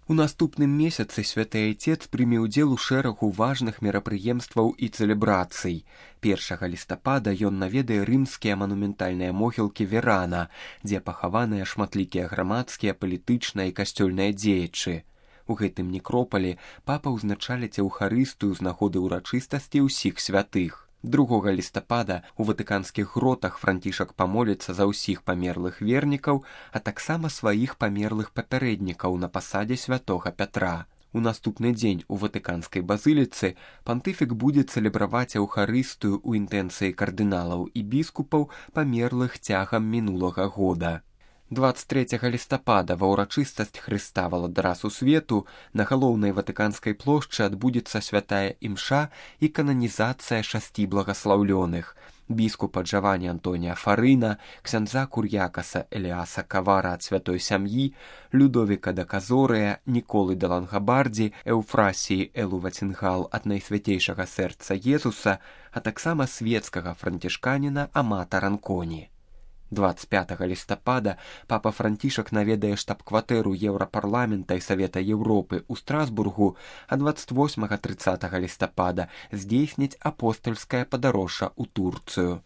У наступным месяцы святы айцец прыме ўдзел у шэрагу важных мерапрыемстваў і цэлебрацый. 1 лістапада ён наведае рымскія манументальныя могілкі Верана, дзе пахаваныя шматлікія грамадскія, палітычныя і касцёльныя дзеячы. У гэтым некропалі папа ўзначаліць эўхарыстыю з нагоды ўрачыстасці ўсіх святых. 2 лістапада у ватыканскіх гротах Францішак памоліцца за ўсіх памерлых вернікаў, а таксама сваіх памерлых папярэднікаў на пасадзе святога Пятра. У наступны дзень у ватыканскай базыліцы пантыфік будзе цэлебраваць эўхарыстыю ў інтэнцыі кардыналаў і біскупаў, памерлых цягам мінулага года. 23 лістапада ва ўрачыстасць Хрыста валадара сусвету на галоўнай ватыканскай плошчы адбудзецца святая імша і кананізацыя 6 благаслаўлёных: біскупа Джавані Антонія Фарына, ксяндза Кур'якаса Эліаса Кавара ад святой сям'і, Людовіка да Казорыя, Ніколы да Лангабардзі, Эўфрасіі Элу Вацінгал ад найсвяцейшага сэрца Езуса, а таксама свецкага францішканіна Амата Ранконі. 25 лістапада папа Францішак наведае штаб-кватэру Еўрапарламента і Савета Еўропы ў Страсбургу, а 28-30 лістапада здзейсніць апостальскае падарожжа ў Турцыю.